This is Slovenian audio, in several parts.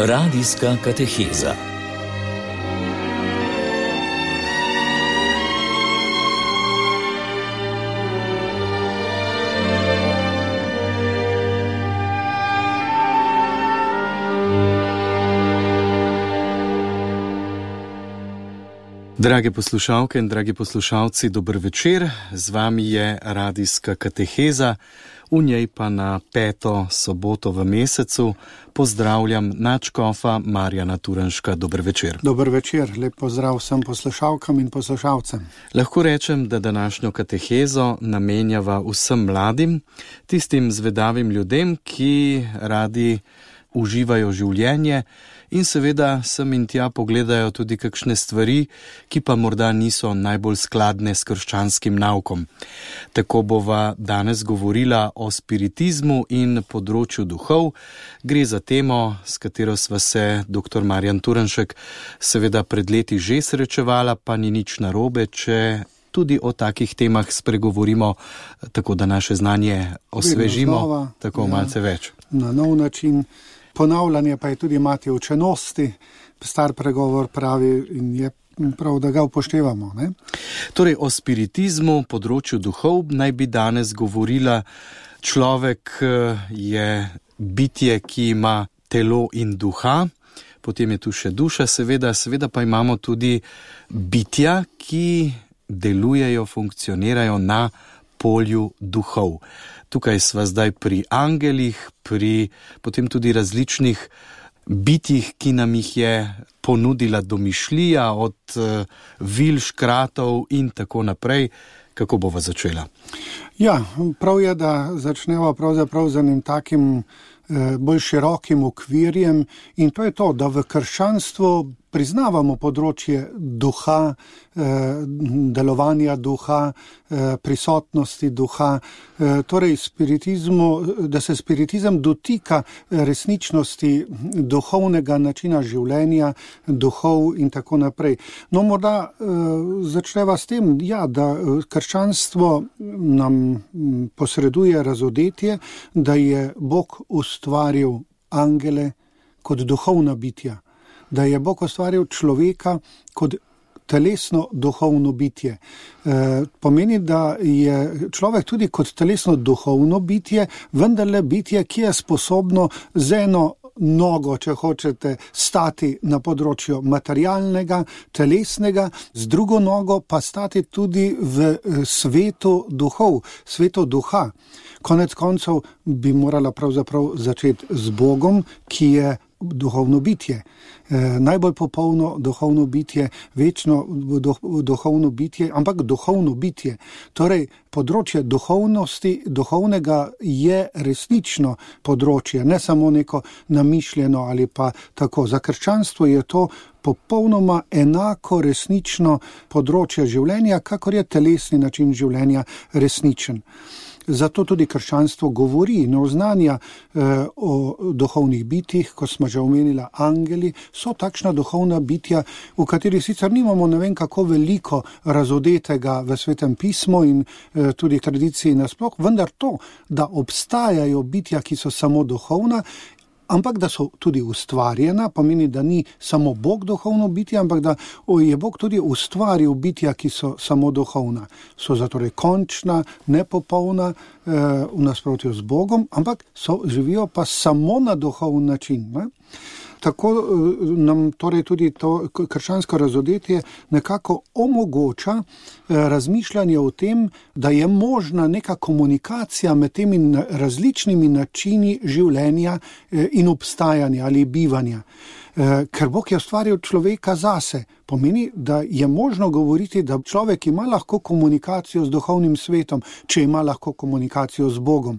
Radijska kateheza. Drage poslušalke in dragi poslušalci, dober večer. Z vami je Radijska kateheza, v njej pa na 5. soboto v mesecu pozdravljam nadškofa Marjana Turnška. Dober večer. Dober večer, lep pozdrav vsem poslušalkam in poslušalcem. Lahko rečem, da današnjo katehezo namenjava vsem mladim, tistim zvedavim ljudem, ki radi uživajo življenje in seveda sem in tja pogledajo tudi kakšne stvari, ki pa morda niso najbolj skladne s krščanskim naukom. Tako bova danes govorila o spiritizmu in področju duhov. Gre za temo, s katero sva se dr. Marjan Turnšek seveda pred leti že srečevala, pa ni nič narobe, če tudi o takih temah spregovorimo, tako da naše znanje osvežimo, tako malce več. Na nov način. Ponavljanje pa je tudi mati učenosti, star pregovor pravi in je prav, da ga upoštevamo. Ne? Torej, o spiritizmu, področju duhov naj bi danes govorila. Človek je bitje, ki ima telo in duha, potem je tu še duša, seveda pa imamo tudi bitja, ki delujejo, funkcionirajo na polju duhov. Tukaj sva zdaj pri angelih, pri potem tudi različnih bitjih, ki nam jih je ponudila domišljija, od vil, škratov in tako naprej. Kako bova začela? Ja, prav je, da začneva pravzaprav z enim takim bolj širokim okvirjem, in to je to, da v krščanstvu priznavamo področje duha, delovanja duha, prisotnosti duha, torej da se spiritizem dotika resničnosti duhovnega načina življenja, duhov in tako naprej. No, morda začneva s tem, da krščanstvo nam posreduje razodetje, da je Bog ustvaril angele kot duhovna bitja, da je Bog ustvaril človeka kot telesno duhovno bitje. Pomeni, da je človek tudi kot telesno duhovno bitje, vendarle bitje, ki je sposobno z eno nogo, če hočete, stati na področju materialnega, telesnega, z drugo nogo pa stati tudi v svetu duhov, svetu duha. Konec koncev bi morala pravzaprav začeti z Bogom, ki je duhovno bitje. Najbolj popolno duhovno bitje, večno duhovno bitje, ampak duhovno bitje. Torej, področje duhovnosti, duhovnega je resnično področje, ne samo neko namišljeno ali pa tako. Za krščanstvo je to popolnoma enako resnično področje življenja, kakor je telesni način življenja resničen. Zato tudi krščanstvo govori in oznanja o duhovnih bitjih, ko smo že omenila angeli, so takšna duhovna bitja, v katerih sicer nimamo ne vem kako veliko razodetega v Svetem pismu in tudi tradiciji nasploh, vendar to, da obstajajo bitja, ki so samo duhovna, ampak da so tudi ustvarjena, pomeni, da ni samo Bog duhovno bitje, ampak da je Bog tudi ustvaril bitja, ki so samo duhovna. So zatorej končna, nepopolna, v nasprotju z Bogom, ampak živijo pa samo na duhovni način. Ne? Tako nam torej tudi to krščansko razodetje nekako omogoča razmišljanje o tem, da je možna neka komunikacija med temi različnimi načini življenja in obstajanja ali bivanja. Ker Bog je ustvaril človeka zase, pomeni, da je možno govoriti, da človek ima lahko komunikacijo z duhovnim svetom, če ima lahko komunikacijo z Bogom.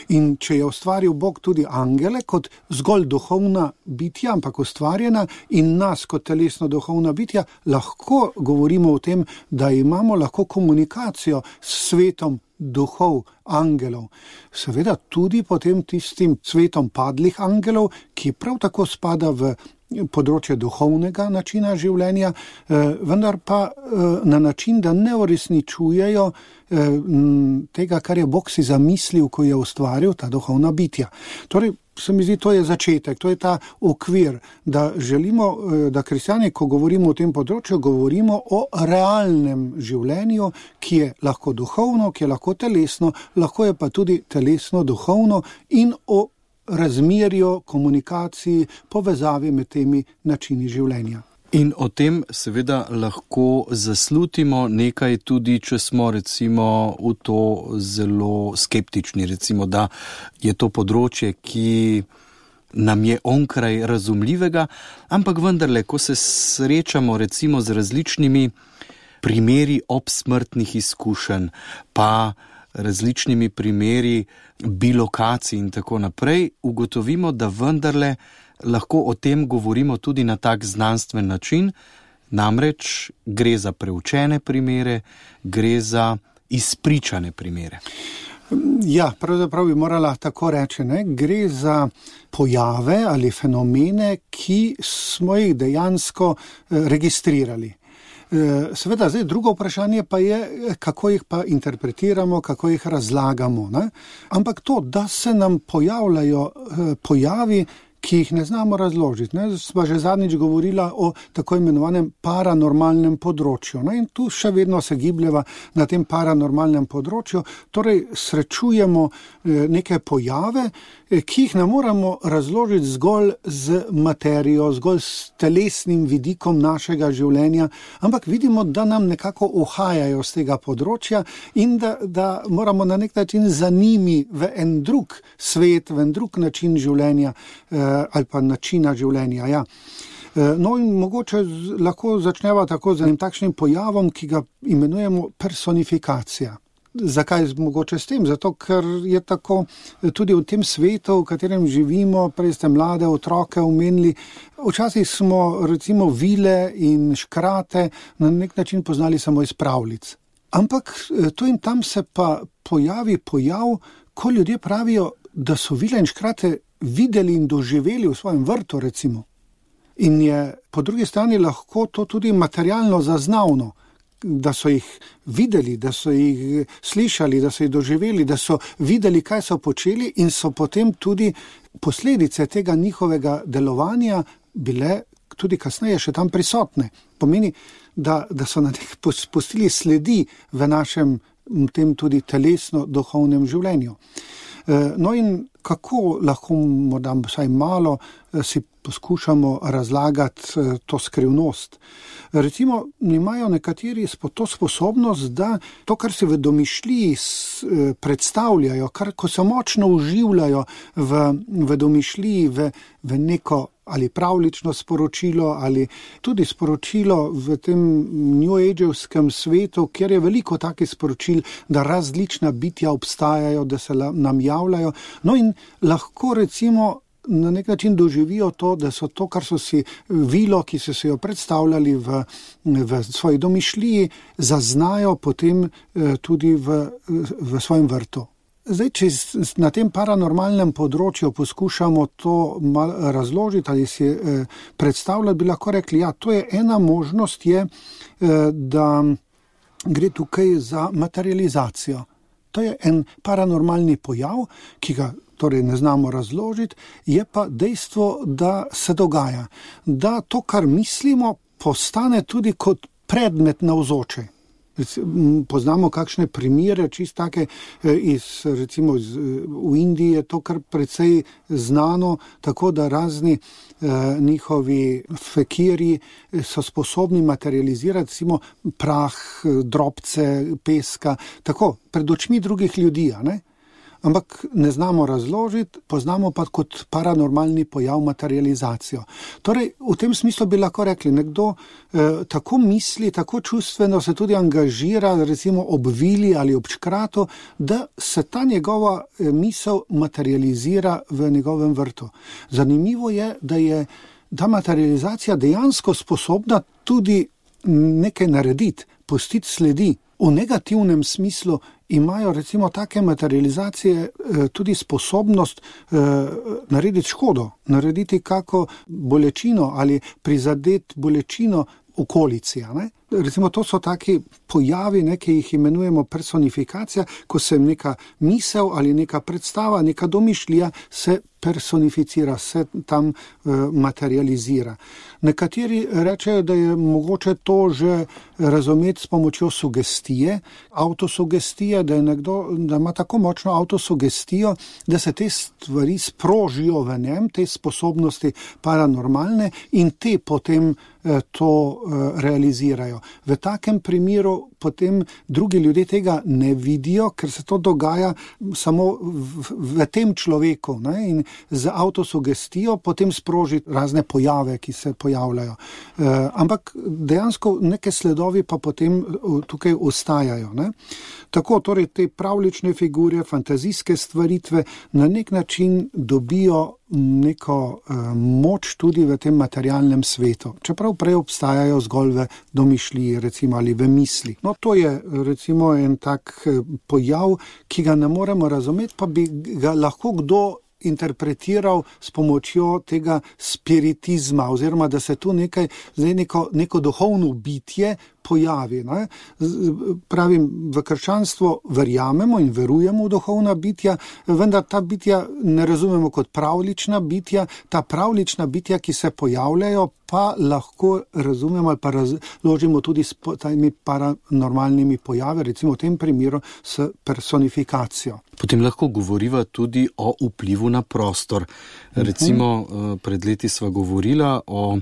In če je ustvaril Bog tudi angele kot zgolj duhovna bitja, ampak ustvarjena, in nas kot telesno duhovna bitja, lahko govorimo o tem, da imamo lahko komunikacijo s svetom duhov, angelov. Seveda tudi potem tistim svetom padlih angelov, ki prav tako spada v področje duhovnega načina življenja, vendar pa na način, da ne uresničujejo tega, kar je Bog si zamislil, ko je ustvaril ta duhovna bitja. Torej, se mi zdi, to je začetek, to je ta okvir, da želimo, da kristjani, ko govorimo o tem področju, govorimo o realnem življenju, ki je lahko duhovno, ki je lahko telesno, lahko je pa tudi telesno, duhovno in o razmerju, komunikaciji, povezavi med temi načini življenja. In o tem seveda lahko zaslutimo nekaj tudi, če smo recimo v to zelo skeptični, recimo, da je to področje, ki nam je onkraj razumljivega, ampak vendarle, ko se srečamo recimo z različnimi primeri obsmrtnih izkušenj, pa različnimi primeri bilokacij in tako naprej, ugotovimo, da vendarle lahko o tem govorimo tudi na tak znanstven način, namreč gre za preučene primere, gre za izpričane primere. Ja, pravzaprav bi morala tako reči, ne? Gre za pojave ali fenomene, ki smo jih dejansko registrirali. Seveda, zdaj drugo vprašanje pa je, kako jih pa interpretiramo, kako jih razlagamo, ne? Ampak to, da se nam pojavljajo pojavi, ki jih ne znamo razložiti. Ne? Sva že zadnjič govorila o tako imenovanem paranormalnem področju. Ne? In tu še vedno se gibljeva na tem paranormalnem področju. Torej, srečujemo neke pojave, ki jih ne moramo razložiti zgolj z materijo, zgolj s telesnim vidikom našega življenja, ampak vidimo, da nam nekako uhajajo z tega področja in da moramo na nek način za njimi v en drug svet, v en drug način življenja ali pa načina življenja. Ja. No in mogoče lahko začneva tako z enim takšnim pojavom, ki ga imenujemo personifikacija. Zakaj mogoče s tem? Zato, ker je tako tudi v tem svetu, v katerem živimo, prej ste mlade otroke omenili, včasih smo recimo vile in škrate na nek način poznali samo iz pravljic. Ampak tu in tam se pa pojavi pojav, ko ljudje pravijo, da so vile in škrate videli in doživeli v svojem vrtu recimo. In je po drugi strani lahko to tudi materialno zaznavno, da so jih videli, da so jih slišali, da so jih doživeli, da so videli, kaj so počeli in so potem tudi posledice tega njihovega delovanja bile tudi kasneje še tam prisotne. Pomeni, da so na nek pustili sledi v našem tem tudi telesno-duhovnem življenju. No in kako lahko morda vsaj malo si poskušamo razlagati to skrivnost. Recimo, imajo nekateri to sposobnost, da to, kar si v domišljiji predstavljajo, ko se močno uživljajo v domišljiji, v neko ali pravlično sporočilo, ali tudi sporočilo v tem New Age-evskem svetu, kjer je veliko takih sporočil, da različna bitja obstajajo, da se nam javljajo. No in lahko recimo na nek način doživijo to, da so to, kar so si vilo, ki so si jo predstavljali v svoji domišljiji, zaznajo potem tudi v svojem vrtu. Zdaj, če na tem paranormalnem področju poskušamo to malo razložiti ali si predstavljati, bi lahko rekli, ja, to je ena možnost, je, da gre tukaj za materializacijo. To je en paranormalni pojav, ki ga torej ne znamo razložiti, je pa dejstvo, da se dogaja, da to, kar mislimo, postane tudi kot predmet navzoče. Poznamo kakšne primere, čist take recimo v Indiji je to kar precej znano, tako da razni njihovi fekiri so sposobni materializirati recimo prah, drobce, peska, tako pred očmi drugih ljudi, ne? Ampak ne znamo razložiti, poznamo pa kot paranormalni pojav materializacijo. Torej, v tem smislu bi lahko rekli, nekdo tako misli, tako čustveno se tudi angažira, recimo ob vili ali ob škratu, da se ta njegova misel materializira v njegovem vrtu. Zanimivo je, da je ta materializacija dejansko sposobna tudi nekaj narediti, pustiti sledi. V negativnem smislu imajo recimo take materializacije tudi sposobnost narediti škodo, narediti kako bolečino ali prizadeti bolečino okolici. Ne? Recimo to so taki pojavi, ki jih imenujemo personifikacija, ko se neka misel ali neka predstava, neka domišljija se personificira, se tam materializira. Nekateri rečejo, da je mogoče to že razumeti s pomočjo sugestije, avtosugestije, da ima tako močno avtosugestijo, da se te stvari sprožijo v njem, te sposobnosti paranormalne in te potem to realizirajo. V takem primeru potem drugi ljudje tega ne vidijo, ker se to dogaja samo v tem človeku, ne? In z avtosugestijo potem sproži razne pojave, ki se pojavljajo. Ampak dejansko neke sledovi pa potem tukaj ostajajo, ne? Tako, torej te pravlične figure, fantazijske stvaritve na nek način dobijo neko moč tudi v tem materialnem svetu. Čeprav prej obstajajo zgolj v domišljiji, recimo, ali v misli. No, to je recimo en tak pojav, ki ga ne moremo razumeti, pa bi ga lahko kdo interpretiral s pomočjo tega spiritizma, oziroma da se tu neko duhovno bitje pojavi. Ne? Pravim, v krščanstvu verjamemo in verujemo v duhovna bitja, vendar ta bitja ne razumemo kot pravlična bitja. Ta pravlična bitja, ki se pojavljajo, pa lahko razumemo ali pa razložimo tudi s temi paranormalnimi pojavi, recimo v tem primeru s personifikacijo. Potem lahko govoriva tudi o vplivu na prostor. Recimo, pred leti sva govorila o,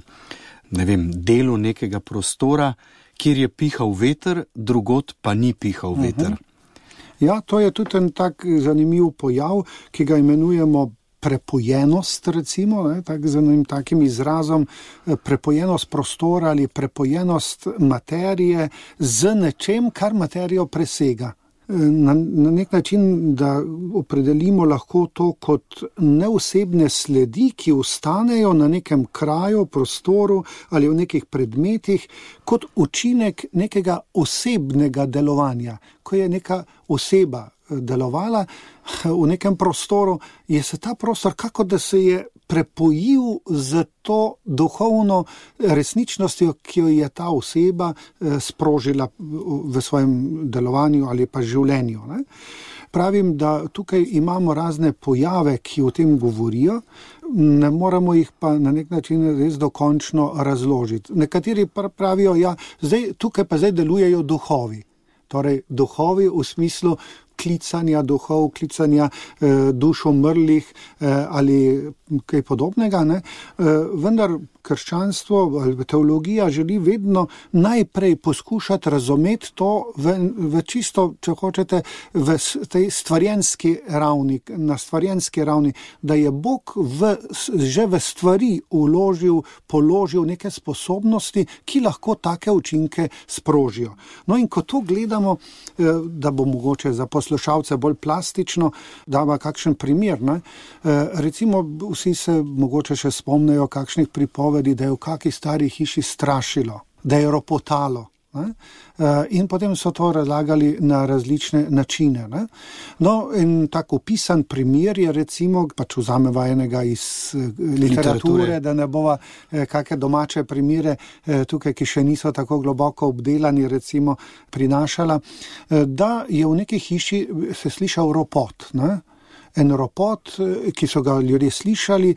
delu nekega prostora, kjer je pihal veter, drugod pa ni pihal veter. Ja, to je tudi en tak zanimiv pojav, ki ga imenujemo prepojenost, recimo, z takim izrazom, prepojenost prostora ali prepojenost materije z nečem, kar materijo presega. Na nek način, da opredelimo lahko to kot neosebne sledi, ki ostanejo na nekem kraju, prostoru ali v nekih predmetih, kot učinek nekega osebnega delovanja. Ko je neka oseba delovala v nekem prostoru, je se ta prostor kako da se je prepojil z to duhovno resničnostjo, ki jo je ta oseba sprožila v svojem delovanju ali pa življenju. Ne? Pravim, da tukaj imamo razne pojave, ki o tem govorijo, ne moramo jih pa na nek način res dokončno razložiti. Nekateri pravijo, tukaj pa zdaj delujejo duhovi. Torej, duhovi v smislu klicanja duhov, klicanja duš umrlih ali kaj podobnega, ne? Vendar krščanstvo ali teologija želi vedno najprej poskušati razumeti to v čisto, če hočete, v tej stvarjenski ravni, na stvarjenski ravni, da je Bog že v stvari položil neke sposobnosti, ki lahko take učinke sprožijo. No in ko to gledamo, da bo mogoče za poslušalce bolj plastično, dava kakšen primer, ne? Recimo vsi se mogoče še spomnejo kakšnih pripovedi, da je v kakšni stari hiši strašilo, da je ropotalo. Ne? In potem so to razlagali na različne načine. Ne? No, in tako opisan primer je recimo, pač vzameva enega iz literature, da ne bova kakšne domače primere tukaj, ki še niso tako globoko obdelani, recimo prinašala, da je v neki hiši se slišal ropot. Ne? En ropot, ki so ga ljudje slišali,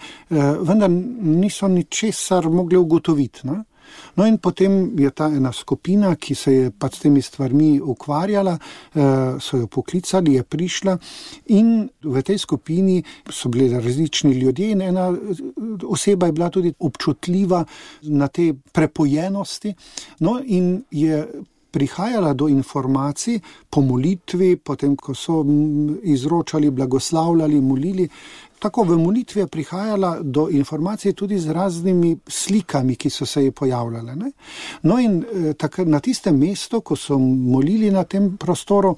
vendar niso ničesar mogli ugotoviti. Ne? No in potem je ta ena skupina, ki se je pač s temi stvarmi ukvarjala, so jo poklicali, je prišla in v tej skupini so bili različni ljudje in ena oseba je bila tudi občutljiva na te prepojenosti, no in je prihajala do informacij po molitvi, potem ko so izročali, blagoslavljali, molili. Tako v molitvi je prihajala do informacij tudi z raznimi slikami, ki so se ji pojavljale. Ne? No in na tistem mestu, ko so molili na tem prostoru,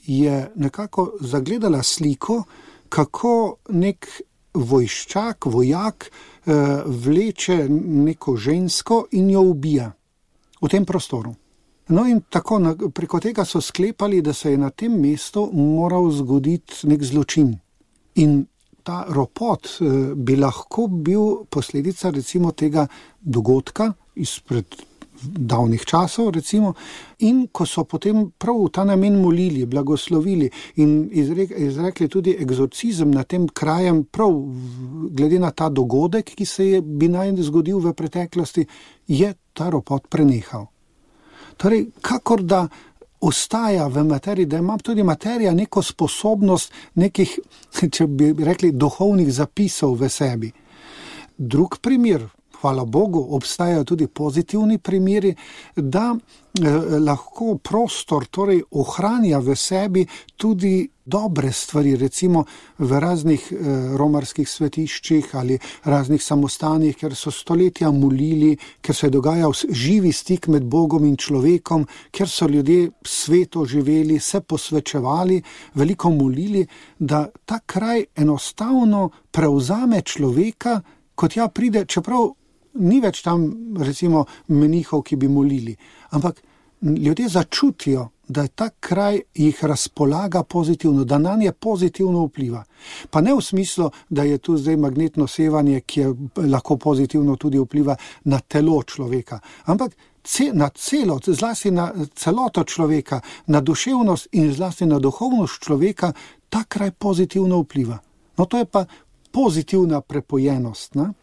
je nekako zagledala sliko, kako nek vojščak, vojak vleče neko žensko in jo ubija v tem prostoru. No in tako preko tega so sklepali, da se je na tem mestu moral zgoditi nek zločin. In ta ropot bi lahko bil posledica recimo tega dogodka izpred davnih časov, recimo, in ko so potem prav v ta namen molili, blagoslovili in izrekli tudi egzorcizem na tem krajem, prav glede na ta dogodek, ki se bi naj zgodil v preteklosti, je ta ropot prenehal. Torej, kakor da ostaja v materiji, da ima tudi materija neko sposobnost nekih, če bi rekli, duhovnih zapisov v sebi. Drug primer, hvala Bogu, obstajajo tudi pozitivni primeri, da lahko prostor torej ohranja v sebi tudi dobre stvari, recimo v raznih romarskih svetiščih ali raznih samostanih, ker so stoletja molili, ker se je dogajal živi stik med Bogom in človekom, ker so ljudje sveto živeli, se posvečevali, veliko molili, da ta kraj enostavno prevzame človeka, kot pride, čeprav ni več tam, recimo, menihov, ki bi molili, ampak ljudje začutijo, da je ta kraj jih razpolaga pozitivno, da nanje pozitivno vpliva. Pa ne v smislu, da je tu zdaj magnetno sevanje, ki je lahko pozitivno tudi vpliva na telo človeka, ampak na celot, zlasti na celoto človeka, na duševnost in zlasti na duhovnost človeka, ta kraj pozitivno vpliva. No, to je pa pozitivna prepojenost, ne?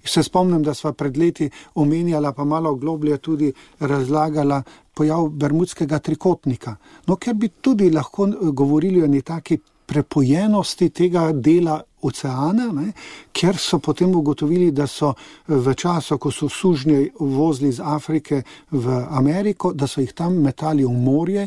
Se spomnim, da sva pred leti omenjala, pa malo globlje tudi razlagala pojav bermudskega trikotnika. No, ker bi tudi lahko govorili o neki prepojenosti tega dela oceana, ne, ker so potem ugotovili, da so v času, ko so sužnje vozili iz Afrike v Ameriko, da so jih tam metali v morje,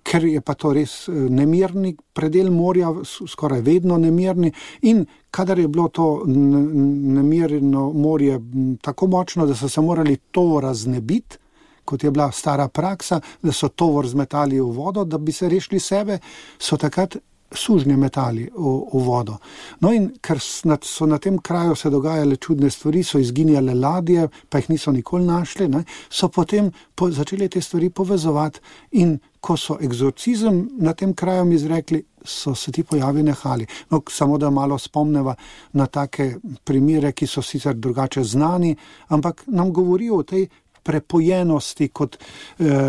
ker je pa to res nemirni predel morja, skoraj vedno nemirni, in kadar je bilo to nemirno morje tako močno, da so se morali tovora znebiti, kot je bila stara praksa, da so tovor zmetali v vodo, da bi se rešili sebe, so takrat sužnje metali v vodo. No, in ker so na tem kraju se dogajale čudne stvari, so izginjale ladje, pa jih niso nikoli našli, ne, so potem začeli te stvari povezovati, in ko so egzorcizem na tem kraju izrekli, so se ti pojavi nehali. No, samo da malo spomneva na take primere, ki so sicer drugače znani, ampak nam govorijo o tej prepojenosti kot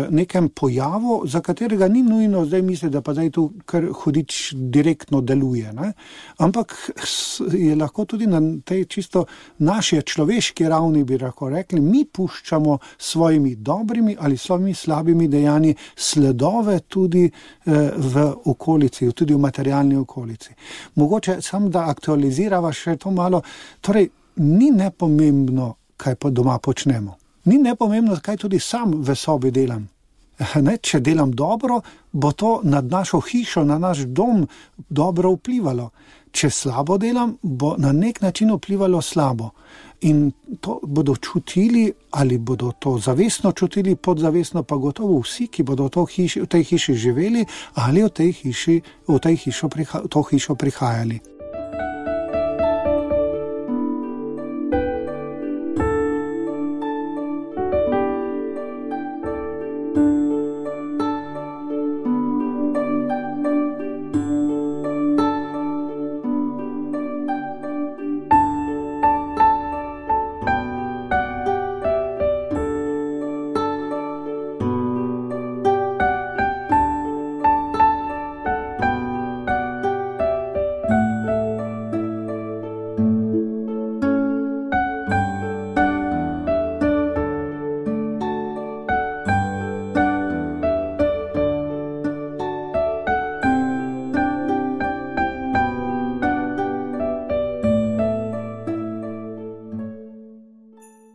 nekem pojavu, za katerega ni nujno zdaj misli, da pa zdaj tu kar hudič direktno deluje, ne? Ampak je lahko tudi na tej čisto naši človeški ravni, bi lahko rekli, mi puščamo svojimi dobrimi ali svojimi slabimi dejanji sledove tudi v okolici, tudi v materialni okolici. Mogoče sam, da aktualizirava še to malo, torej ni nepomembno, kaj pa doma počnemo. Ni nepomembno, kaj tudi sam v sobi delam. Ne, če delam dobro, bo to nad našo hišo, na naš dom dobro vplivalo. Če slabo delam, bo na nek način vplivalo slabo. In to bodo čutili, ali bodo to zavestno čutili, podzavestno pa gotovo vsi, ki bodo v tej hiši živeli ali v to hišo prihajali.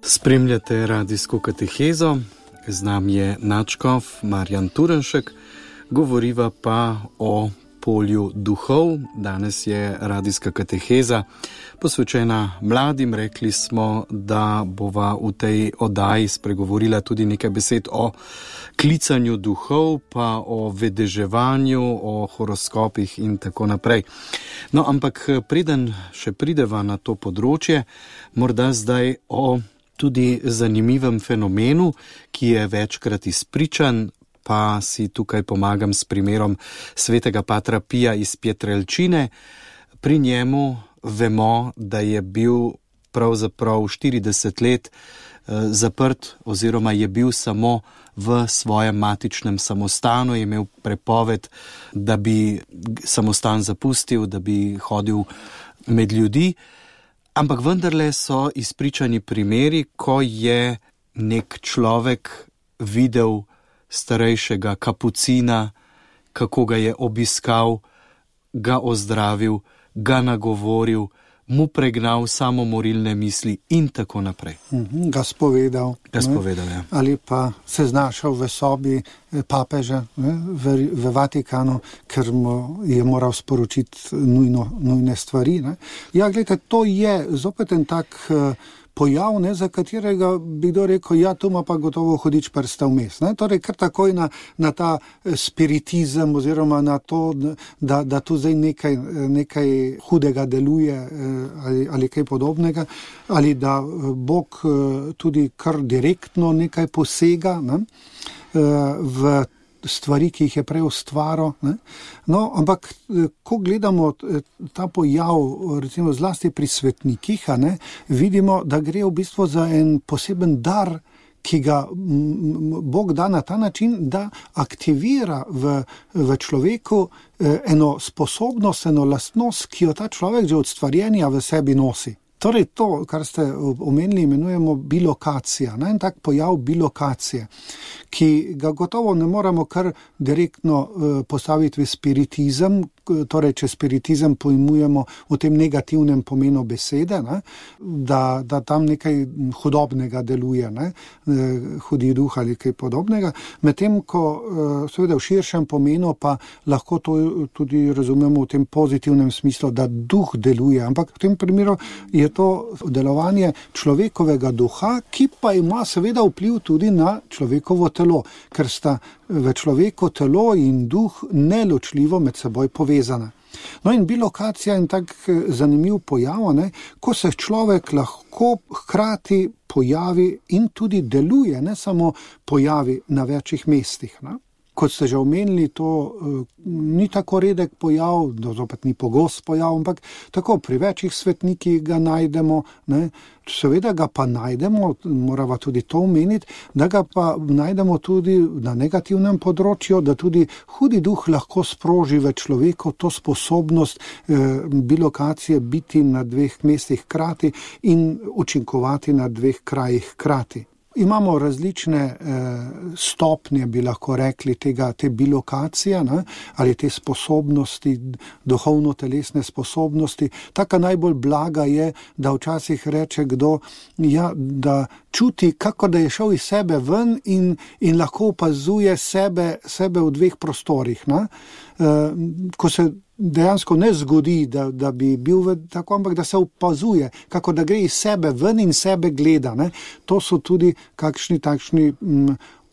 Spremljate radijsko katehezo, z nami je nadškof Marjan Turnšek, govoriva pa o polju duhov. Danes je radijska kateheza posvečena mladim. Rekli smo, da bova v tej oddaji spregovorila tudi nekaj besed o klicanju duhov, pa o vedeževanju, o horoskopih in tako naprej. No, ampak preden še prideva na to področje, morda zdaj o tudi zanimivem fenomenu, ki je večkrat izpričan, pa si tukaj pomagam s primerom svetega patra Pija iz Pietrelcine. Pri njemu vemo, da je bil pravzaprav 40 let zaprt oziroma je bil samo v svojem matičnem samostanu, je imel prepoved, da bi samostan zapustil, da bi hodil med ljudi. Ampak vendarle so izpričani primeri, ko je nek človek videl starejšega kapucina, kako ga je obiskal, ga ozdravil, ga nagovoril, mu pregnal samomorilne misli in tako naprej. Ga spovedal. Ja. Ali pa se znašel v sobi papeža v Vatikanu, ker mu je moral sporočiti nujne stvari. Ne. Ja, gledajte, to je zopet en tak pojav, za katerega bi kdo rekel, ja, tu ima pa gotovo hudič prsta vmes. Torej, kar takoj na ta spiritizem oziroma na to, da tu zdaj nekaj hudega deluje ali kaj podobnega, ali da Bog tudi kar direktno nekaj posega v stvari, ki jih je prej ustvaril. No, ampak ko gledamo ta pojav, recimo zlasti pri svetnikih, vidimo, da gre v bistvu za en poseben dar, ki ga Bog da na ta način, da aktivira v človeku eno sposobnost, eno lastnost, ki jo ta človek že od stvarjenja v sebi nosi. Torej to, kar ste omenili, imenujemo bilokacija. En tak pojav bilokacije, ki ga gotovo ne moramo kar direktno postaviti v spiritizem, torej če spiritizem pojmujemo v tem negativnem pomenu besede, da tam nekaj hudobnega deluje, hudi duh ali kaj podobnega, medtem ko seveda v širšem pomenu pa lahko to tudi razumemo v tem pozitivnem smislu, da duh deluje, ampak v tem primeru je to delovanje človekovega duha, ki pa ima seveda vpliv tudi na človekovo telo, ker sta v človeku telo in duh neločljivo med seboj povezana. No in bilokacija je en tak zanimiv pojav, ko se človek lahko hkrati pojavi in tudi deluje, ne samo pojavi na večjih mestih. Kot ste že omenili, to ni tako redek pojav, zopet ni pogost pojav, ampak tako pri večjih svetnikih ga najdemo, seveda ga pa najdemo, morava tudi to omeniti, da ga pa najdemo tudi na negativnem področju, da tudi hudi duh lahko sproži v človeku to sposobnost bilokacije biti na dveh mestih hkrati in učinkovati na dveh krajih hkrati. Imamo različne stopnje, bi lahko rekli, te bilokacije, ali te sposobnosti, duhovno-telesne sposobnosti. Taka najbolj blaga je, da včasih reče kdo, da čuti, kako da je šel iz sebe ven in lahko opazuje sebe v dveh prostorih. Ko se dejansko ne zgodi, da bi bil tako, ampak da se opazuje, kako da gre iz sebe ven in sebe gleda. To so tudi kakšni takšni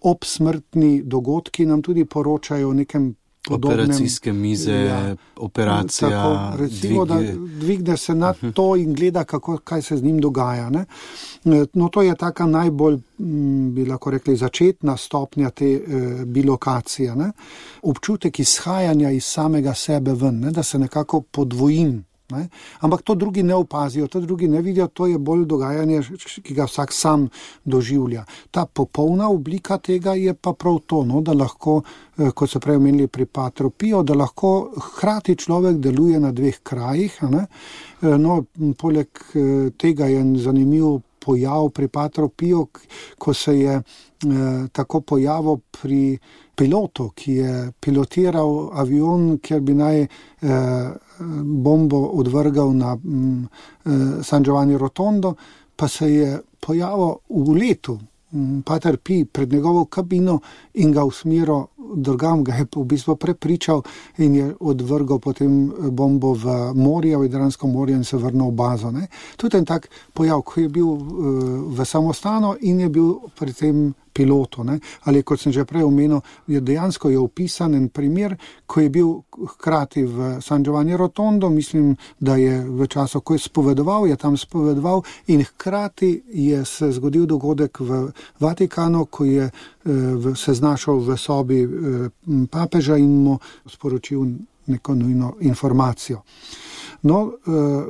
obsmrtni dogodki, nam tudi poročajo o nekem podobnem. Operacijske mize, operacija. Tako, recimo, da dvigne se nad to in gleda, kaj se z njim dogaja. No, to je taka najbolj, bi lahko rekli, začetna stopnja te bilokacije. Občutek izhajanja iz samega sebe ven, da se nekako podvojim. Ampak to drugi ne opazijo, to drugi ne vidijo, to je bolj dogajanje, ki ga vsak sam doživlja. Ta popolna oblika tega je pa prav to, da lahko, kot se prej omenili pri Patru Piju, da lahko hkrati človek deluje na dveh krajih. No, poleg tega je zanimiv pojav pri Patru Piju, ko se je tako pojavil pri pilotu, ki je pilotiral avion, kjer bi naj bombo odvrgal na San Giovanni Rotondo, pa se je pojavil v letu Pater Pij pred njegovo kabino in ga usmeril drugam, ga je v bistvu prepričal in je odvrgal potem bombo v morje, v Jadransko morje in se vrnil v bazo. Tudi en tak pojav, ko je bil v samostanu in je bil pri tem pilotu. Ali kot sem že prej omenil, dejansko je opisan en primer, ko je bil hkrati v San Giovanni Rotondo, mislim, da je v času, ko je spovedoval, je tam spovedoval in hkrati je se zgodil dogodek v Vatikanu, ko je se znašel v sobi papeža in mu sporočil neko nujno informacijo. No,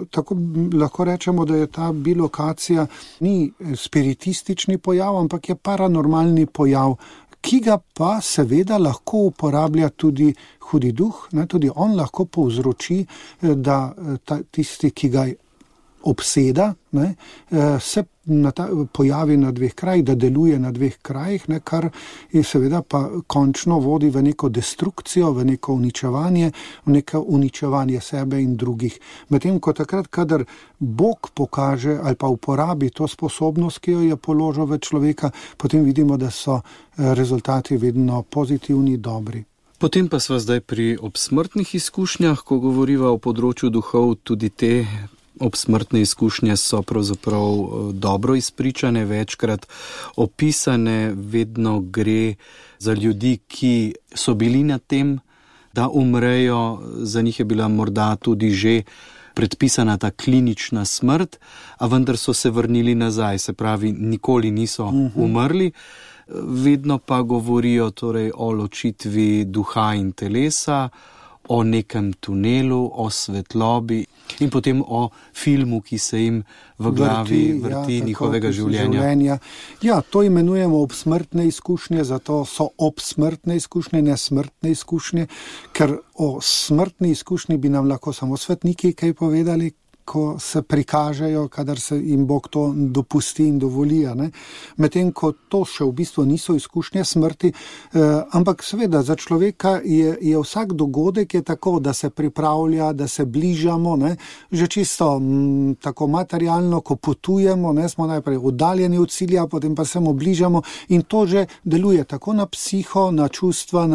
tako lahko rečemo, da je ta bilokacija ni spiritistični pojav, ampak je paranormalni pojav, ki ga pa seveda lahko uporablja tudi hudi duh, ne, tudi on lahko povzroči, da tisti, ki ga obseda, ne, se pojavi na dveh krajih, da deluje na dveh krajih, ne, kar je seveda pa končno vodi v neko destrukcijo, v neko uničevanje sebe in drugih. Medtem ko takrat, kadar Bog pokaže ali pa uporabi to sposobnost, ki jo je položil v človeka, potem vidimo, da so rezultati vedno pozitivni, dobri. Potem pa sva zdaj pri obsmrtnih izkušnjah, ko govoriva o področju duhov, tudi te obsmrtne izkušnje so pravzaprav dobro izpričane, večkrat opisane, vedno gre za ljudi, ki so bili na tem, da umrejo, za njih je bila morda tudi že predpisana ta klinična smrt, a vendar so se vrnili nazaj, se pravi, nikoli niso umrli. Vedno pa govorijo torej o ločitvi duha in telesa, o nekem tunelu, o svetlobi in potem o filmu, ki se jim v glavi vrti njihovega življenja. Ja, to imenujemo obsmrtne izkušnje, zato so obsmrtne izkušnje, ne smrtne izkušnje, ker o smrtni izkušnji bi nam lahko samo svetniki kaj povedali, ko se prikažejo, kadar se jim Bog to dopusti in dovoli. Medtem ko to še v bistvu niso izkušnje smrti, ampak seveda za človeka je vsak dogodek je tako, da se pripravlja, da se bližamo, ne? Že čisto tako materialno, ko potujemo, ne? Smo najprej oddaljeni od cilja, potem pa se mu bližamo in to že deluje tako na psiho, na čustva,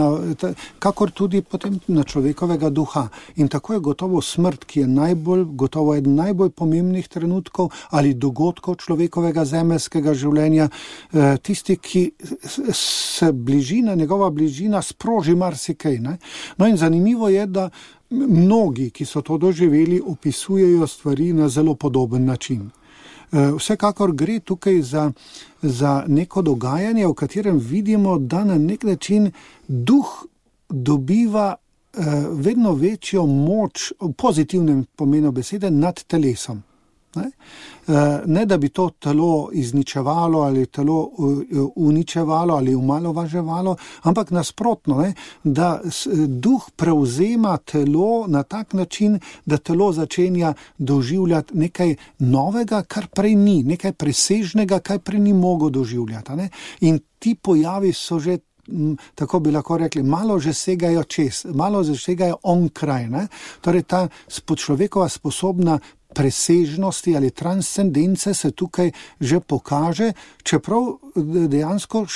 kakor tudi potem na človekovega duha. In tako je gotovo smrt, ki je gotovo eden najbolj pomembnih trenutkov ali dogodkov človekovega zemeljskega življenja, tisti, ki se njegova bližina sproži marsikaj. Ne? No in zanimivo je, da mnogi, ki so to doživeli, opisujejo stvari na zelo podoben način. Vsekakor gre tukaj za neko dogajanje, v katerem vidimo, da na nek način duh dobiva vedno večjo moč, v pozitivnem pomenu besede, nad telesom. Ne da bi to telo izničevalo ali telo uničevalo ali umalovaževalo, ampak nasprotno, da duh prevzema telo na tak način, da telo začenja doživljati nekaj novega, kar prej ni, nekaj presežnega, kar prej ni mogel doživljati. In ti pojavi so že, tako bi lahko rekli, malo že segajo čez, malo že segajo onkraj. Torej ta človekova sposobna presežnosti ali transcendence se tukaj že pokaže, čeprav dejansko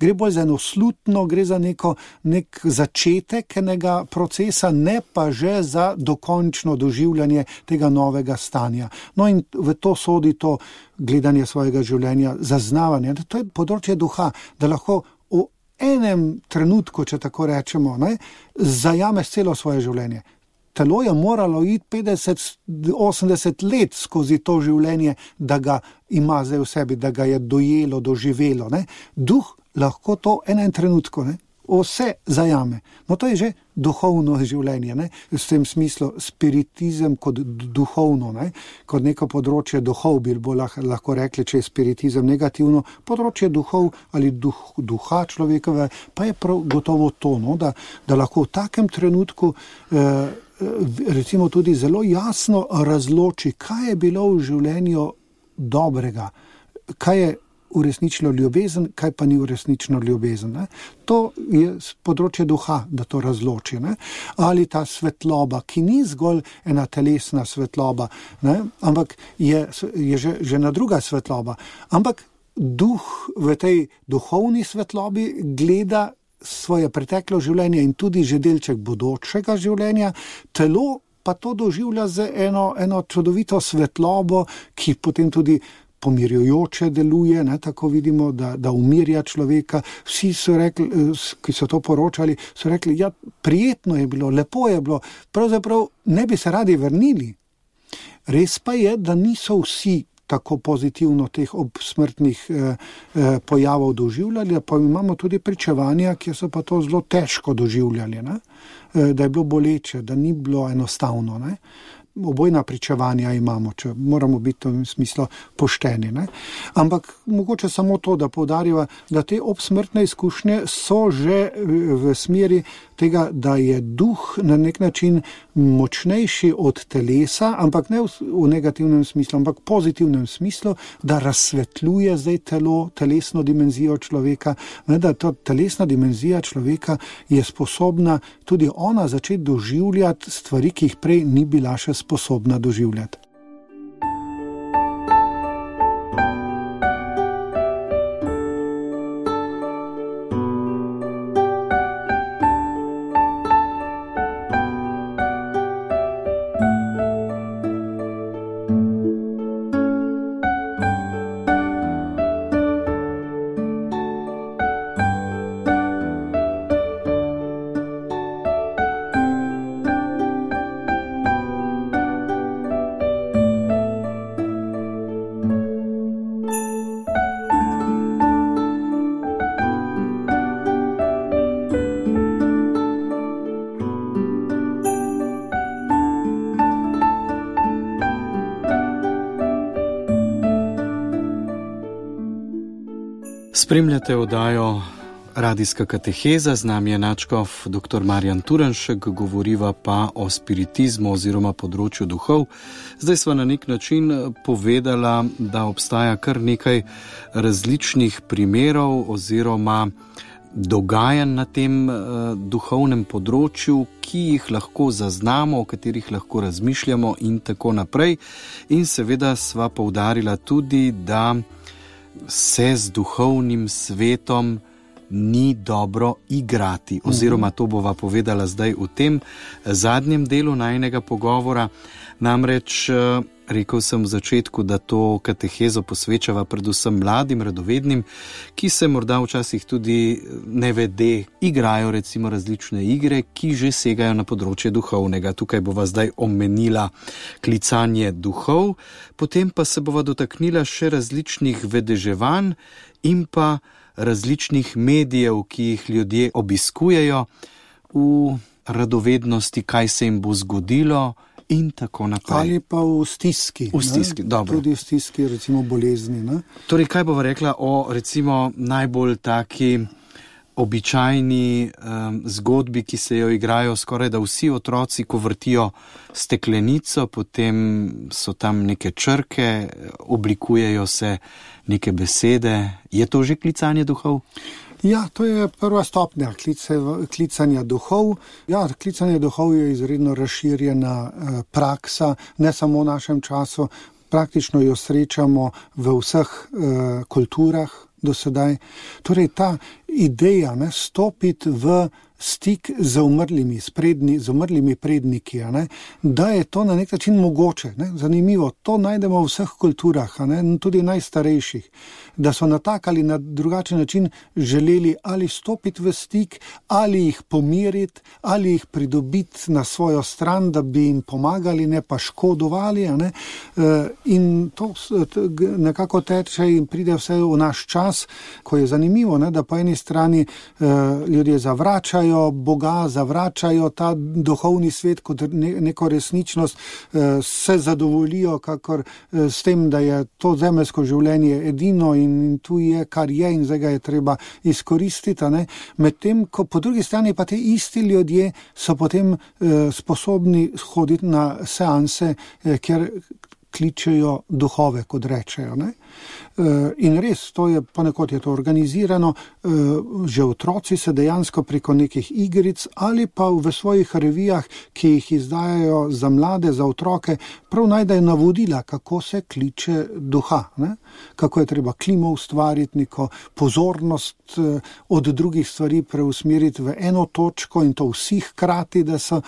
gre bolj za eno slutno, gre za nek začetek enega procesa, ne pa že za dokončno doživljanje tega novega stanja. No in v to sodi to gledanje svojega življenja, zaznavanje. To je področje duha, da lahko v enem trenutku, če tako rečemo, zajameš celo svoje življenje. Telo je moralo iti 50-80 let skozi to življenje, da ga ima zdaj v sebi, da ga je dojelo, doživelo. Duh lahko to v enem trenutku vse zajame. No, to je že duhovno življenje. V tem smislu spiritizem kot duhovno, kot neko področje duhov, bi lahko rekli, če je spiritizem negativno, področje duhov ali duha človekove, pa je prav gotovo to, da lahko v takem trenutku recimo tudi zelo jasno razloči, kaj je bilo v življenju dobrega, kaj je uresničilo ljubezen, kaj pa ni uresničilo ljubezen. To je področje duha, da to razloči. Ali ta svetloba, ki ni zgolj ena telesna svetloba, ampak je že ena druga svetloba. Ampak duh v tej duhovni svetlobi gleda svoje preteklo življenje in tudi že delček bodočega življenja, telo pa to doživlja z eno čudovito svetlobo, ki potem tudi pomirjujoče deluje, tako vidimo, da umirja človeka. Vsi so rekli, ki so to poročali, so rekli, ja, prijetno je bilo, lepo je bilo, pravzaprav ne bi se radi vrnili. Res pa je, da niso vsi tako pozitivno teh obsmrtnih pojavov doživljali, pa imamo tudi pričevanja, ki so pa to zelo težko doživljali, da je bilo boleče, da ni bilo enostavno. obojna pričevanja imamo, če moramo biti v smislu pošteni. Ne? Ampak mogoče samo to, da poudarjava, da te obsmrtne izkušnje so že v smeri tega, da je duh na nek način močnejši od telesa, ampak ne v negativnem smislu, ampak v pozitivnem smislu, da razsvetljuje zdaj telesno dimenzijo človeka, ne, da ta telesna dimenzija človeka je sposobna tudi ona začeti doživljati stvari, ki jih prej ni bila še sposobna doživljati. Spremljate oddajo Radijska kateheza, z nami je nadškof dr. Marjan Turnšek, govoriva pa o spiritizmu oziroma področju duhov. Zdaj sva na nek način povedala, da obstaja kar nekaj različnih primerov oziroma dogajanj na tem duhovnem področju, ki jih lahko zaznamo, o katerih lahko razmišljamo in tako naprej. In seveda sva poudarila tudi, da se z duhovnim svetom ni dobro igrati, oziroma to bova povedala zdaj v tem zadnjem delu najinega pogovora. Namreč rekel sem v začetku, da to katehezo posvečava predvsem mladim, radovednim, ki se morda včasih tudi nevede igrajo recimo različne igre, ki že segajo na področje duhovnega. Tukaj bova zdaj omenila klicanje duhov, potem pa se bova dotaknila še različnih vedeževanj in pa različnih medijev, ki jih ljudje obiskujejo v radovednosti, kaj se jim bo zgodilo in tako naprej. Ali pa v stiski. V stiski, dobro. Tudi v stiski, recimo bolezni. Ne? Torej, kaj bova rekla o recimo najbolj taki običajni zgodbi, ki se jo igrajo skoraj da vsi otroci, ko vrtijo steklenico, potem so tam neke črke, oblikujejo se neke besede. Je to že klicanje duhov? Ja, to je prva stopnja klicanja duhov. Ja, klicanje duhov je izredno razširjena praksa, ne samo v našem času, praktično jo srečamo v vseh kulturah do sedaj. Torej, ta ideja, stopiti v stik z umrlimi predniki, da je to na nek način mogoče. Zanimivo, to najdemo v vseh kulturah, tudi najstarejših, da so na tak ali na drugačen način želeli ali stopiti v stik, ali jih pomiriti, ali jih pridobiti na svojo stran, da bi jim pomagali, ne pa škodovali. In to nekako teče in pride vse v naš čas, ko je zanimivo, da po eni strani ljudje zavračajo Boga, zavračajo ta duhovni svet kot neko resničnost, se zadovoljijo kakor s tem, da je to zemeljsko življenje edino in tu je, kar je in zdaj ga je treba izkoristiti. Medtem, ko po drugi strani pa te isti ljudje so potem sposobni hoditi na seanse, kjer kličejo duhove, kot rečejo. In res, to je, ponekod je to organizirano, že otroci se dejansko preko nekih igric ali pa v svojih revijah, ki jih izdajajo za mlade, za otroke, prav najdejo navodila, kako se kliče duha, kako je treba klimo ustvariti, neko pozornost od drugih stvari preusmeriti v eno točko in to vsi hkrati, da so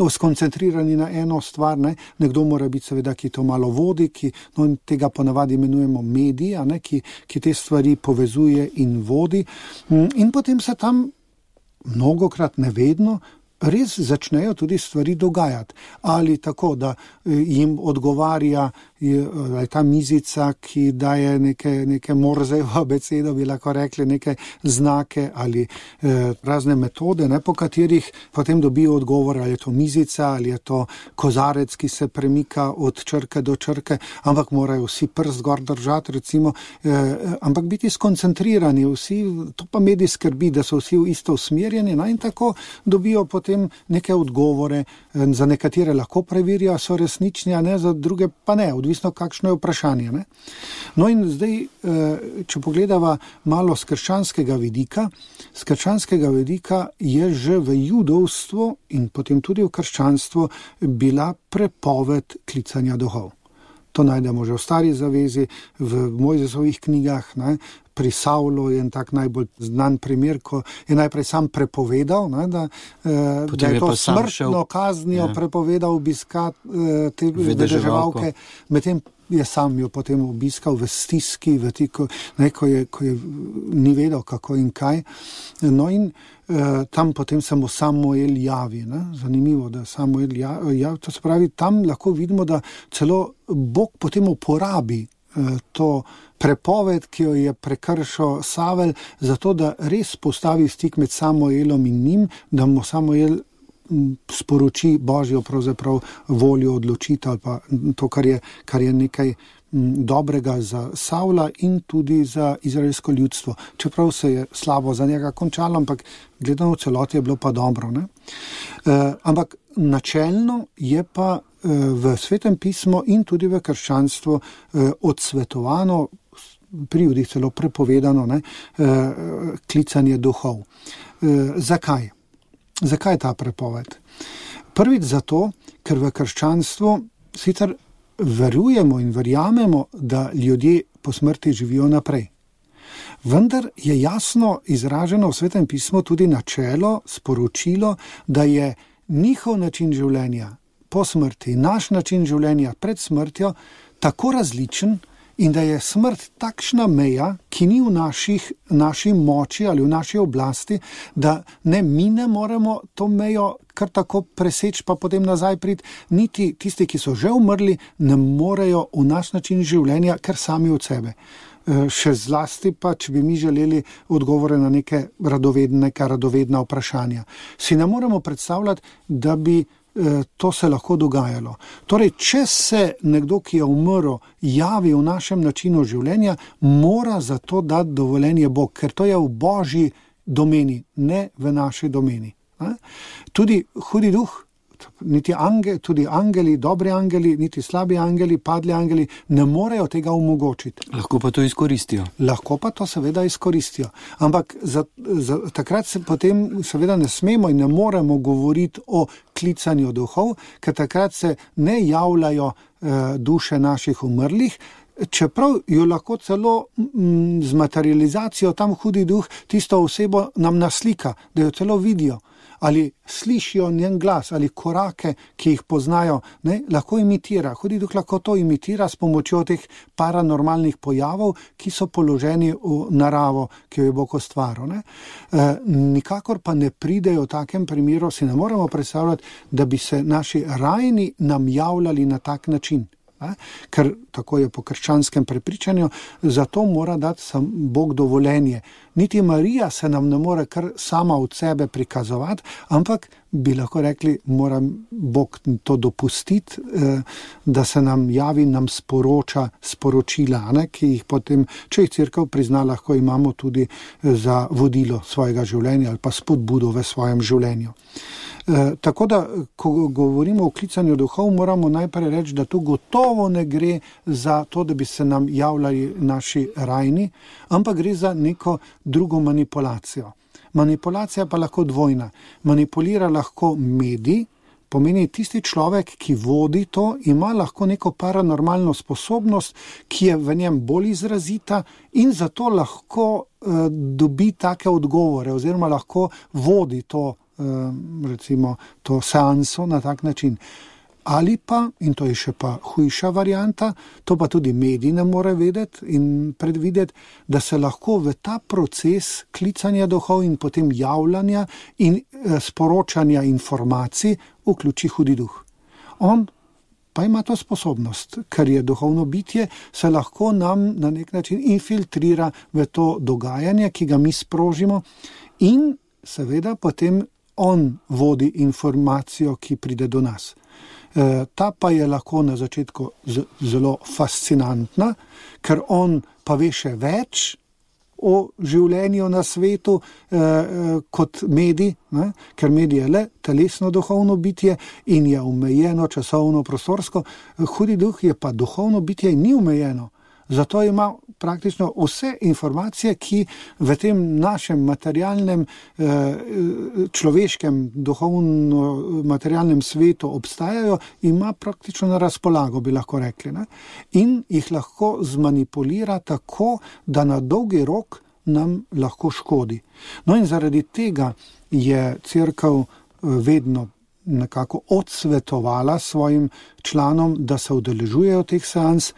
skoncentrirani na eno stvar. Nekdo mora biti seveda, ki to malo vodi, tega ponavadi imenujemo medij, ki te stvari povezuje in vodi. In potem se tam mnogokrat, ne vedno, res začnejo tudi stvari dogajati. Ali tako, da jim odgovarja ta mizica, ki daje neke morzevo abecedo, bi lahko rekli, neke znake ali razne metode, po katerih potem dobijo odgovor, ali je to mizica, ali je to kozarec, ki se premika od črke do črke, ampak morajo vsi prst gor držati, recimo, ampak biti skoncentrirani, vsi, to pa medij skrbi, da so vsi isto usmerjeni, in tako dobijo potem neke odgovore, za nekatere lahko preverijo, so resnični, a ne, za druge pa ne, odvisno kakšno je vprašanje. Ne? No in zdaj, če pogledava malo z krščanskega vidika je že v judovstvu in potem tudi v krščanstvu bila prepoved klicanja duhov. To najdemo že v Stari zavezi, v Mojzesovih knjigah, ne? Pri Savlu je en tak najbolj znan primer, ko je najprej sam prepovedal, da je to smrtno kaznijo prepovedal obiskati te vedeževalke, medtem je sam jo potem obiskal v stiski, ko je ni vedel kako in kaj. No in tam potem se mu Samuel javi. Ne? Zanimivo, da Samuel javi. To se pravi, tam lahko vidimo, da celo Bog potem uporabi to prepoved, ki jo je prekršil Savel, zato da res postavi stik med Samuelom in njim, da mu Samuel sporoči Božjo pravzaprav voljo, odločitev ali pa to, kar je nekaj dobrega za Savla in tudi za izraelsko ljudstvo. Čeprav se je slabo za njega končalo, ampak gledano v celoti je bilo pa dobro. Ne? Ampak načelno je pa v Svetem pismu in tudi v krščanstvu odsvetovano, pri judih celo prepovedano, klicanje duhov. Zakaj? Zakaj je ta prepoved? Prvič zato, ker v krščanstvu sicer verujemo in verjamemo, da ljudje po smrti živijo naprej. Vendar je jasno izraženo v Svetem pismu tudi načelo, sporočilo, da je njihov način življenja po smrti, naš način življenja pred smrtjo tako različen in da je smrt takšna meja, ki ni v naši moči ali v naši oblasti, da ne mi ne moremo to mejo kar tako preseči pa potem nazaj priti, niti tisti, ki so že umrli, ne morejo v naš način življenja, ker sami od sebe. Še zlasti pa, če bi mi želeli odgovore na neka radovedna vprašanja. Si ne moremo predstavljati, da bi to se lahko dogajalo. Torej, če se nekdo, ki je umrl, javi v našem načinu življenja, mora za to dati dovoljenje Bog, ker to je v Božji domeni, ne v naši domeni. Tudi hudi duh, tudi angeli, dobri angeli, niti slabi angeli, padli angeli ne morejo tega omogočiti. Lahko pa to izkoristijo. Lahko pa to seveda izkoristijo. Ampak takrat se potem seveda ne smemo in ne moremo govoriti o klicanju duhov, ker takrat se ne javljajo duše naših umrlih, čeprav jo lahko celo z materializacijo tam hudi duh tisto osebo nam naslika, da jo celo vidijo. Ali slišijo njen glas, ali korake, ki jih poznajo, lahko imitira. Hudi duh lahko to imitira s pomočjo teh paranormalnih pojavov, ki so položeni v naravo, ki jo je Bog ustvaril. Nikakor pa ne pridejo v takem primeru, si ne moremo predstavljati, da bi se naši rajni nam javljali na tak način. Ker tako je po krščanskem prepričanju, zato mora dati Bog dovoljenje. Niti Marija se nam ne more kar sama od sebe prikazovati, ampak bi lahko rekli, mora Bog to dopustiti, da se nam javi, nam sporoča sporočila, ki jih potem, če jih Cerkev prizna, lahko imamo tudi za vodilo svojega življenja ali pa spodbudo v svojem življenju. Tako da, ko govorimo o klicanju duhov, moramo najprej reči, da tu gotovo ne gre za to, da bi se nam javljali naši rajni, ampak gre za neko drugo manipulacijo. Manipulacija pa lahko dvojna. Manipulira lahko medij, pomeni tisti človek, ki vodi to, ima lahko neko paranormalno sposobnost, ki je v njem bolj izrazita in zato lahko dobi take odgovore oziroma lahko vodi to, recimo, to seanso na tak način. Ali pa, in to je še pa hujša varianta, to pa tudi mediji ne more vedeti in predvideti, da se lahko v ta proces klicanja duhov in potem javljanja in sporočanja informacij vključi hudi duh. On pa ima to sposobnost, ker je duhovno bitje, se lahko nam na nek način infiltrira v to dogajanje, ki ga mi sprožimo, in seveda potem on vodi informacijo, ki pride do nas. Ta pa je lahko na začetku zelo fascinantna, ker on pa ve še več o življenju na svetu kot medij, ne? Ker medij je le telesno duhovno bitje in je omejeno časovno prostorsko, hudi duh je pa duhovno bitje in ni omejeno. Zato ima praktično vse informacije, ki v tem našem materialnem, človeškem, duhovno-materialnem svetu obstajajo, ima praktično na razpolago, bi lahko rekli. Ne? In jih lahko zmanipulira tako, da na dolgi rok nam lahko škodi. No in zaradi tega je Cerkev vedno nekako odsvetovala svojim članom, da se udeležujejo teh seans.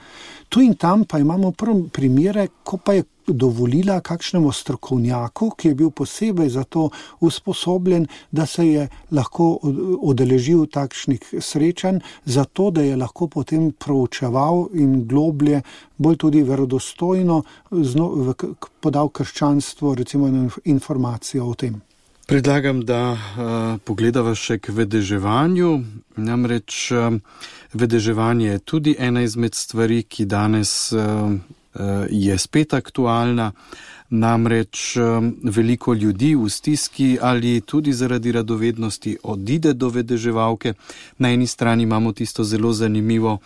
Tu in tam pa imamo primere, ko pa je dovolila kakšnemu strokovnjaku, ki je bil posebej za to usposobljen, da se je lahko udeležil takšnih srečanj, zato da je lahko potem proučeval in globlje, bolj tudi verodostojno podal krščanstvo, recimo informacijo o tem. Predlagam, da pogledava še k vedeževanju. Namreč vedeževanje je tudi ena izmed stvari, ki danes je spet aktualna. Namreč veliko ljudi v stiski ali tudi zaradi radovednosti odide do vedeževalke. Na eni strani imamo tisto zelo zanimivo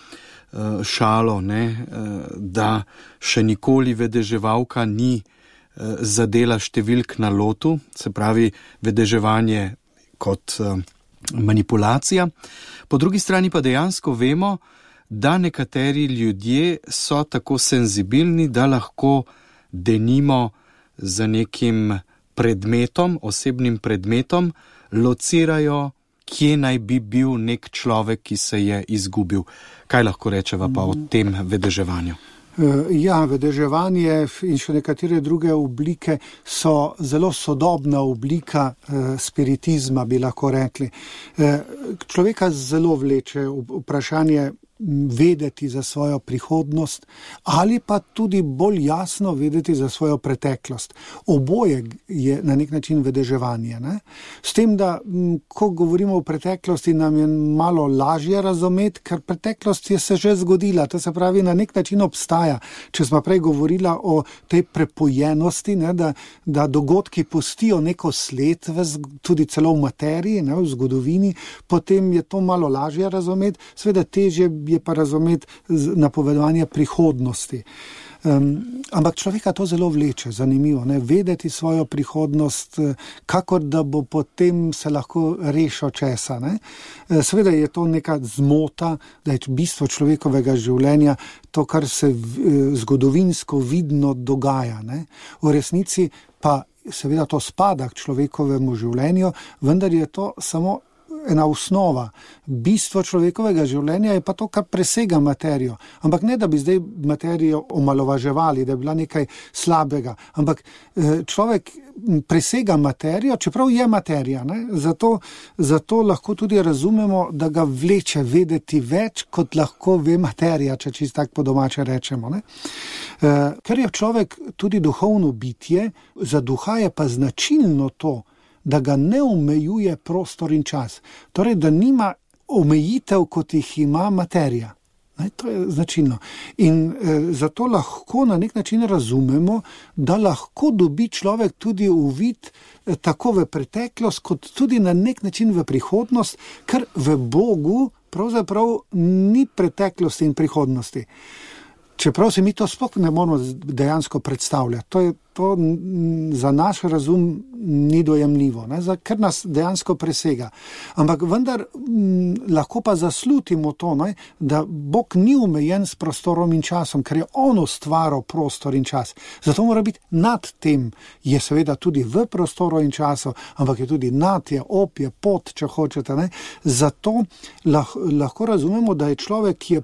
šalo, ne, da še nikoli vedeževalka ni zadela številk na lotu, se pravi vedeževanje kot manipulacija. Po drugi strani pa dejansko vemo, da nekateri ljudje so tako senzibilni, da lahko denimo za nekim predmetom, osebnim predmetom, locirajo, kje naj bi bil nek človek, ki se je izgubil. Kaj lahko rečeva pa o tem vedeževanju? Ja, vedeževanje in še nekatere druge oblike so zelo sodobna oblika spiritizma, bi lahko rekli. Človeka zelo vleče vprašanje vedeti za svojo prihodnost ali pa tudi bolj jasno vedeti za svojo preteklost. Oboje je na nek način vedeževanje. Ne? S tem, da ko govorimo o preteklosti, nam je malo lažje razumeti, ker preteklost je se že zgodila, to se pravi na nek način obstaja. Če smo prej govorila o tej prepojenosti, ne, da dogodki pustijo neko sled, tudi celo v materiji, ne, v zgodovini, potem je to malo lažje razumeti, seveda težje je pa razumeti napovedovanje prihodnosti. Ampak človeka to zelo vleče, zanimivo, ne? Vedeti svojo prihodnost, kakor da bo potem se lahko rešil česa. Ne? Seveda je to neka zmota, da je bistvo človekovega življenja to, kar se zgodovinsko vidno dogaja. Ne? V resnici pa seveda to spada k človekovemu življenju, vendar je to samo ena osnova. Bistvo človekovega življenja je pa to, kar presega materijo. Ampak ne, da bi zdaj materijo omalovaževali, da je bila nekaj slabega. Ampak človek presega materijo, čeprav je materija. Ne? Zato lahko tudi razumemo, da ga vleče vedeti več, kot lahko ve materija, če čisto tako po domače rečemo. Ne? Ker je človek tudi duhovno bitje, za duha je pa značilno to, da ga ne omejuje prostor in čas. Torej, da nima omejitev, kot jih ima materija. Ne, to je značilno. In zato lahko na nek način razumemo, da lahko dobi človek tudi uvid tako v preteklost, kot tudi na nek način v prihodnost, ker v Bogu pravzaprav ni preteklosti in prihodnosti. Čeprav se mi to sploh ne moramo dejansko predstavljati. To za naš razum ni dojemljivo, ker nas dejansko presega. Ampak vendar lahko pa zaslutimo to, da Bog ni omejen s prostorom in časom, ker je on ustvaril prostor in čas. Zato mora biti nad tem, je seveda tudi v prostoru in času, ampak je tudi nad, je ob, je pod, če hočete. Zato lahko razumemo, da je človek, ki je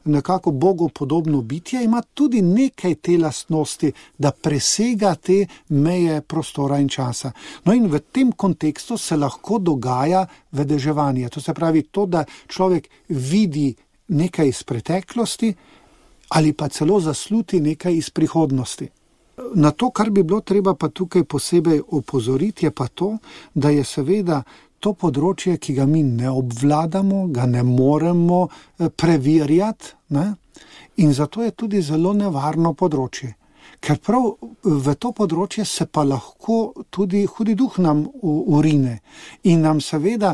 nekako Bogu podobno bitje, ima tudi nekaj te lastnosti, da presega te meje prostora in časa. No in v tem kontekstu se lahko dogaja vedeževanje. To se pravi to, da človek vidi nekaj iz preteklosti ali pa celo zasluti nekaj iz prihodnosti. Na to, kar bi bilo treba pa tukaj posebej opozoriti, je pa to, da je seveda to področje, ki ga mi ne obvladamo, ga ne moremo preverjati, in zato je tudi zelo nevarno področje. Ker prav v to področje se pa lahko tudi hudi duh nam urine in nam seveda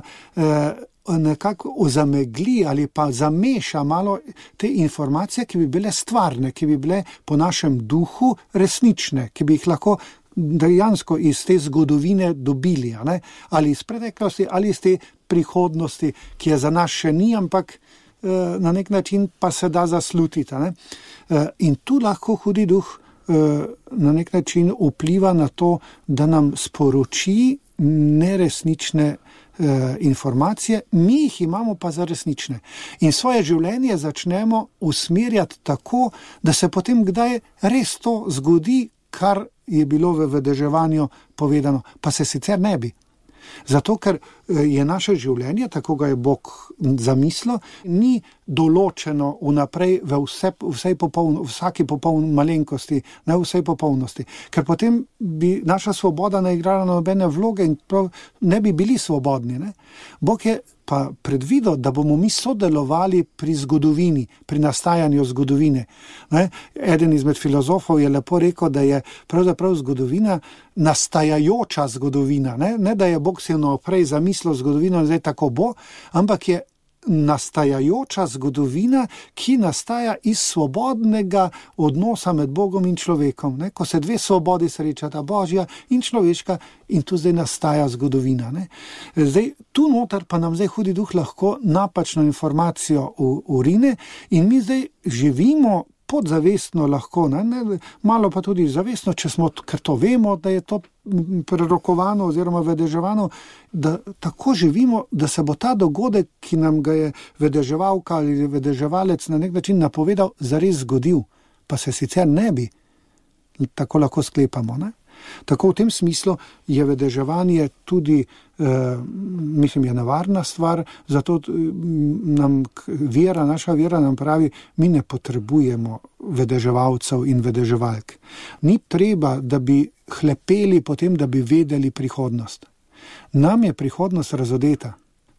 nekako ozamegli ali pa zameša malo te informacije, ki bi bile stvarne, ki bi bile po našem duhu resnične, ki bi jih lahko dejansko iz te zgodovine dobili, ali iz preteklosti, ali iz te prihodnosti, ki je za nas še ni, ampak na nek način pa se da zaslutiti. In tu lahko hudi duh na nek način vpliva na to, da nam sporoči neresnične informacije, mi jih imamo pa za resnične. In svoje življenje začnemo usmerjati tako, da se potem kdaj res to zgodi, kar je bilo v vedeževanju povedano, pa se sicer ne bi. Zato, ker je naše življenje, tako ga je Bog zamislil, ni določeno vnaprej v vsaki popoln malenkosti, ne v vsej popolnosti. Ker potem bi naša svoboda ne igrala nobene vloge in ne bi bili svobodni. Bog je pa predvidel, da bomo mi sodelovali pri zgodovini, pri nastajanju zgodovine. Eden izmed filozofov je lepo rekel, da je pravzaprav zgodovina nastajajoča zgodovina. Ne da je Bog si naprej zamislil zgodovino in zdaj tako bo, ampak je nastajajoča zgodovina, ki nastaja iz svobodnega odnosa med Bogom in človekom. Ko se dve svobodi srečata, Božja in človeška, in tu zdaj nastaja zgodovina. Zdaj, tu noter pa nam zdaj hudi duh lahko napačno informacijo urine in mi zdaj živimo podzavestno lahko, malo pa tudi zavestno, ker to vemo, da je to prerokovano oziroma vedeževano, da tako živimo, da se bo ta dogodek, ki nam ga je vedeževalka ali vedeževalec na nek način napovedal, zares zgodil, pa se sicer ne bi. Tako lahko sklepamo. Tako v tem smislu je vedeževanje tudi, je nevarna stvar, zato nam naša vera nam pravi, mi ne potrebujemo vedeževalcev in vedeževalk. Ni treba, da bi hlepeli potem, da bi vedeli prihodnost. Nam je prihodnost razodeta.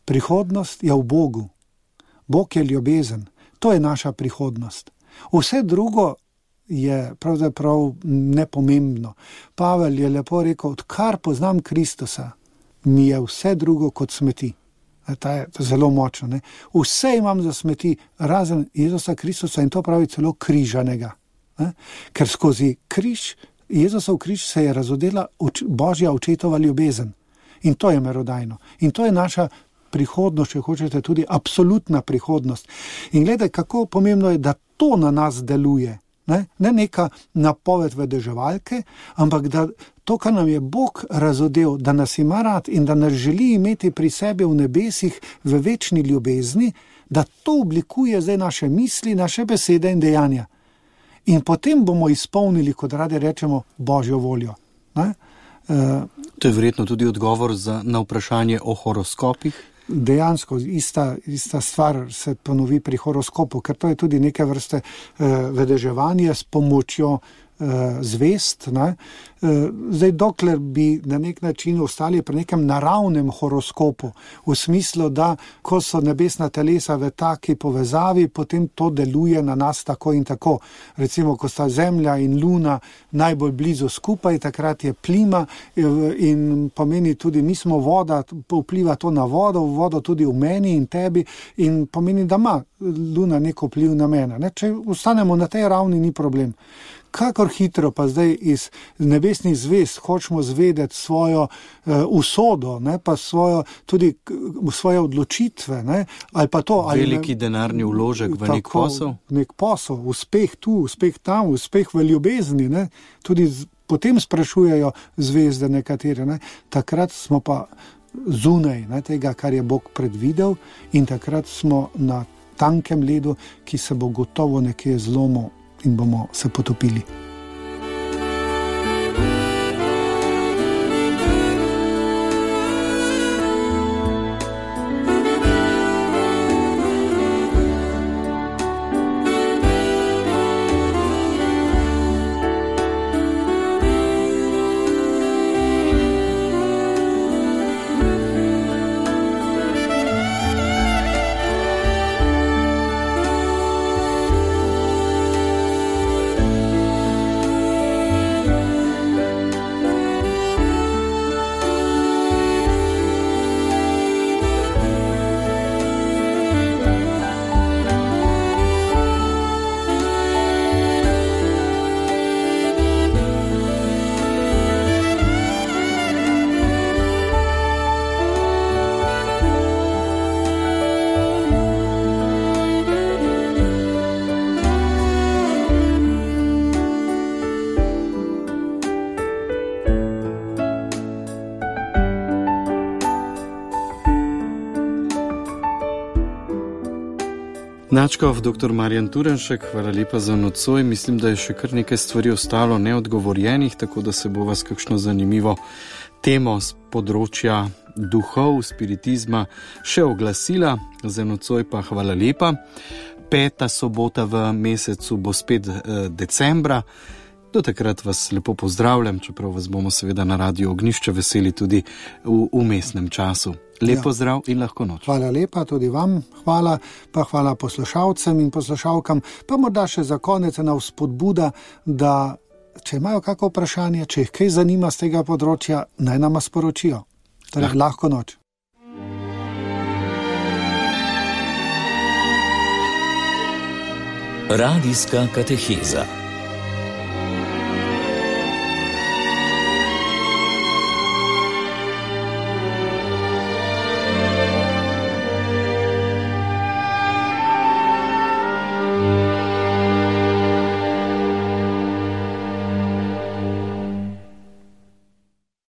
Prihodnost je v Bogu. Bog je ljubezen. To je naša prihodnost. Vse drugo je pravzaprav nepomembno. Pavel je lepo rekel, odkar poznam Kristusa, mi je vse drugo kot smeti. To je zelo močno. Vse imam za smeti, razen Jezusa Kristusa, in to pravi celo križanega. Ker skozi Jezusov križ se je razodela Božja očetova ljubezen. In to je merodajno. In to je naša prihodnost, če hočete, tudi absolutna prihodnost. In gledaj, kako pomembno je, da to na nas deluje. Ne neka napoved vedeževalke, ampak da to, kar nam je Bog razodel, da nas ima rad in da nas želi imeti pri sebi v nebesih v večni ljubezni, da to oblikuje zdaj naše misli, naše besede in dejanja. In potem bomo izpolnili, kot radi rečemo, Božjo voljo. To je verjetno tudi odgovor na vprašanje o horoskopih. Dejansko ista stvar se ponovi pri horoskopu, ker to je tudi neke vrste vedeževanje s pomočjo zvest. Zdaj, dokler bi na nek način ostali pri nekem naravnem horoskopu, v smislu, da ko so nebesna telesa v taki povezavi, potem to deluje na nas tako in tako. Recimo, ko sta Zemlja in Luna najbolj blizu skupaj, takrat je plima in pomeni tudi, mi smo voda, vpliva to na vodo tudi v meni in tebi in pomeni, da ima Luna neko vpliv na mene. Če ostanemo na tej ravni, ni problem. Kakor hitro pa zdaj iz nebesnih zvezd hočemo zvedeti svojo usodo, pa tudi svoje odločitve. Ali pa to, veliki denarni vložek v nek posel. Nek posel, uspeh tu, uspeh tam, uspeh v ljubezni. Tudi potem sprašujejo zvezde nekatere. Takrat smo pa zunaj tega, kar je Bog predvidel, in takrat smo na tankem ledu, ki se bo gotovo nekje zlomil in bomo se potopili. Načkov, dr. Marjan Turnšek, hvala lepa za nocoj. Mislim, da je še kar nekaj stvari ostalo neodgovorjenih, tako da se bo vas kakšno zanimivo temo z področja duhov, spiritizma še oglasila. Za nocoj pa hvala lepa. 5. sobota v mesecu bo spet decembra. Do takrat vas lepo pozdravljam, čeprav vas bomo seveda na Radiu Ognjišče veseli tudi v umestnem času. Lepo zdrav in lahko noč. Hvala lepa tudi vam, hvala poslušalcem in poslušalkam, pa morda še za konec ena vzpodbuda, da če imajo kako vprašanje, če jih kaj zanima z tega področja, naj nama sporočijo. Torej, lahko noč. Radijska kateheza.